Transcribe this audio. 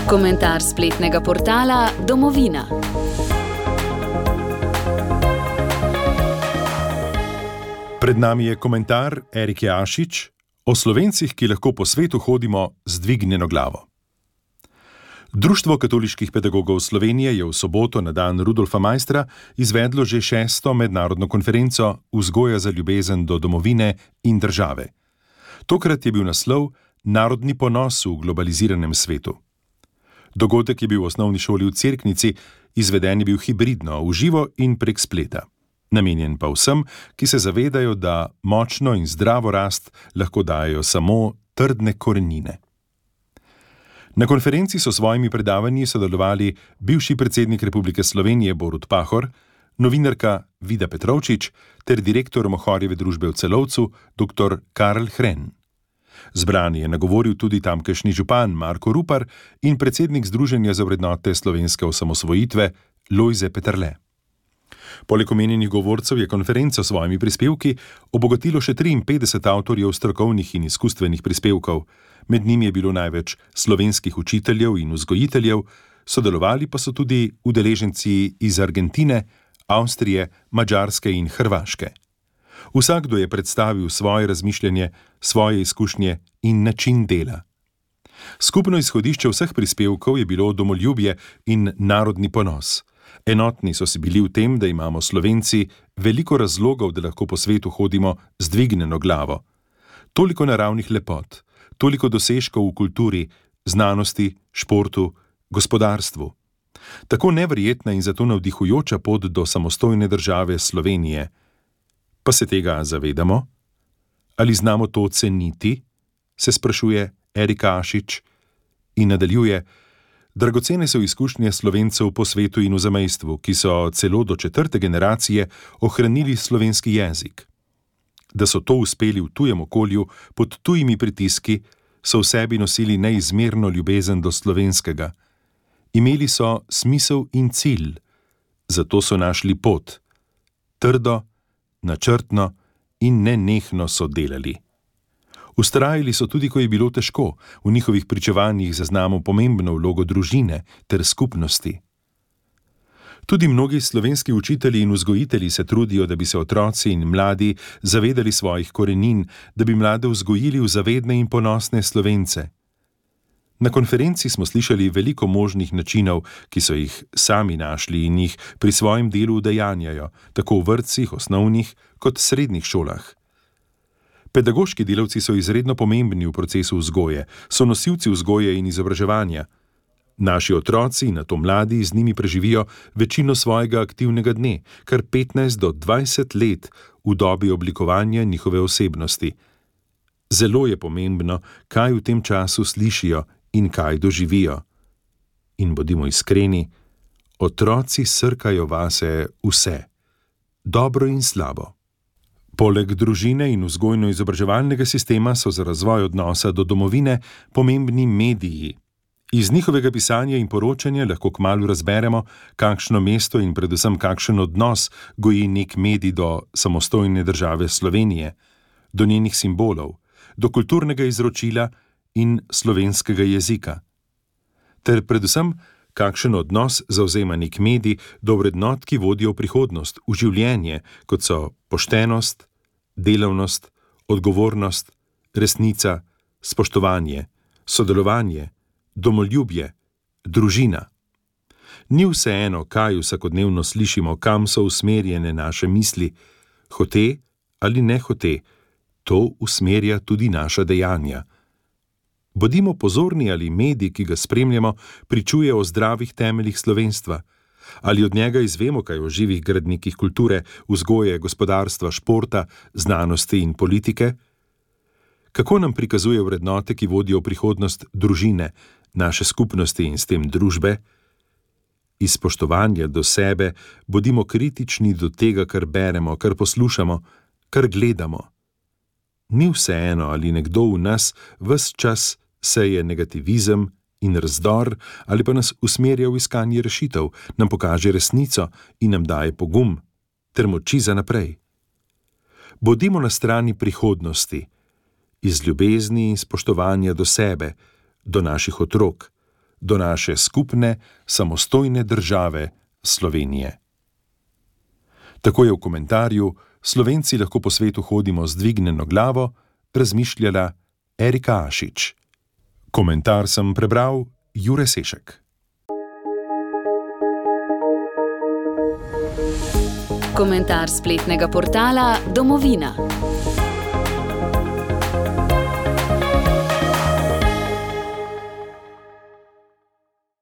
Komentar spletnega portala Domovina. Pred nami je komentar Erike Ašič o Slovencih, ki lahko po svetu hodimo z dvignjeno glavo. Društvo katoliških pedagogov Slovenije je v soboto na dan Rudolfa Maistra izvedlo že 6. mednarodno konferenco Vzgoja za ljubezen do domovine in države. Tokrat je bil naslov Narodni ponos v globaliziranem svetu. Dogodek je bil v osnovni šoli v Cerknici, izveden je bil hibridno, v živo in prek spleta. Namenjen pa vsem, ki se zavedajo, da močno in zdravo rast lahko dajo samo trdne korenine. Na konferenci so svojimi predavanji sodelovali bivši predsednik Republike Slovenije Borut Pahor, novinarka Vida Petrovčič ter direktor Mohorjeve družbe v Celovcu dr. Karl Hren. Zbrani je nagovoril tudi tamkajšnji župan Marko Rupar in predsednik Združenja za vrednote slovenske osamosvojitve Lojze Peterle. Poleg omenjenih govorcev je konferenco s svojimi prispevki obogatilo še 53 avtorjev strokovnih in izkustvenih prispevkov. Med njimi je bilo največ slovenskih učiteljev in vzgojiteljev, sodelovali pa so tudi udeleženci iz Argentine, Avstrije, Madžarske in Hrvaške. Vsakdo je predstavil svoje razmišljanje, svoje izkušnje in način dela. Skupno izhodišče vseh prispevkov je bilo domoljubje in narodni ponos. Enotni so si bili v tem, da imamo Slovenci veliko razlogov, da lahko po svetu hodimo z dvignjeno glavo. Toliko naravnih lepot, toliko dosežkov v kulturi, znanosti, športu, gospodarstvu. Tako neverjetna in zato navdihujoča pot do samostojne države Slovenije. Pa se tega zavedamo? Ali znamo to ceniti? Se sprašuje Erika Ašič in nadaljuje: dragocene so izkušnje Slovencev po svetu in v zamejstvu, ki so celo do 4. generacije ohranili slovenski jezik. Da so to uspeli v tujem okolju, pod tujimi pritiski, so v sebi nosili neizmerno ljubezen do slovenskega. Imeli so smisel in cilj, zato so našli pot. Trdo, načrtno in nenehno so delali. Vztrajali so tudi, ko je bilo težko, v njihovih pričevanjih zaznamo pomembno vlogo družine ter skupnosti. Tudi mnogi slovenski učitelji in vzgojitelji se trudijo, da bi se otroci in mladi zavedali svojih korenin, da bi mlade vzgojili v zavedne in ponosne Slovence. Na konferenci smo slišali veliko možnih načinov, ki so jih sami našli in jih pri svojem delu udejanjajo, tako v vrtcih, osnovnih kot srednjih šolah. Pedagoški delavci so izredno pomembni v procesu vzgoje, so nosilci vzgoje in izobraževanja. Naši otroci in nato mladi z njimi preživijo večino svojega aktivnega dne, kar 15 do 20 let v dobi oblikovanja njihove osebnosti. Zelo je pomembno, kaj v tem času slišijo in kaj doživijo. In bodimo iskreni, otroci srkajo vase vse, dobro in slabo. Poleg družine in vzgojno-izobraževalnega sistema so za razvoj odnosa do domovine pomembni mediji. Iz njihovega pisanja in poročanja lahko kmalu razberemo, kakšno mesto in predvsem kakšen odnos goji nek medij do samostojne države Slovenije, do njenih simbolov, do kulturnega izročila in slovenskega jezika. Ter predvsem, kakšen odnos zavzema nek medij do vrednot, ki vodijo v prihodnost, v življenje, kot so poštenost, delavnost, odgovornost, resnica, spoštovanje, sodelovanje, domoljubje, družina. Ni vseeno, kaj vsakodnevno slišimo, kam so usmerjene naše misli, hote ali nehote, to usmerja tudi naša dejanja. Bodimo pozorni, ali medij, ki ga spremljamo, pričuje o zdravih temeljih slovenstva, ali od njega izvemo kaj o živih gradnikih kulture, vzgoje, gospodarstva, športa, znanosti in politike. Kako nam prikazuje vrednote, ki vodijo v prihodnost družine, naše skupnosti in s tem družbe? Iz spoštovanja do sebe bodimo kritični do tega, kar beremo, kar poslušamo, kar gledamo. Ni vseeno, ali nekdo v nas ves čas seje negativizem in razdor, ali pa nas usmerja v iskanje rešitev, nam pokaže resnico in nam daje pogum ter moči za naprej. Bodimo na strani prihodnosti, iz ljubezni in spoštovanja do sebe, do naših otrok, do naše skupne, samostojne države Slovenije. Tako je v komentarju Slovenci lahko po svetu hodimo z dvignjeno glavo razmišljala Erika Ašič. Komentar sem prebral Jure Sešek. Komentar spletnega portala Domovina.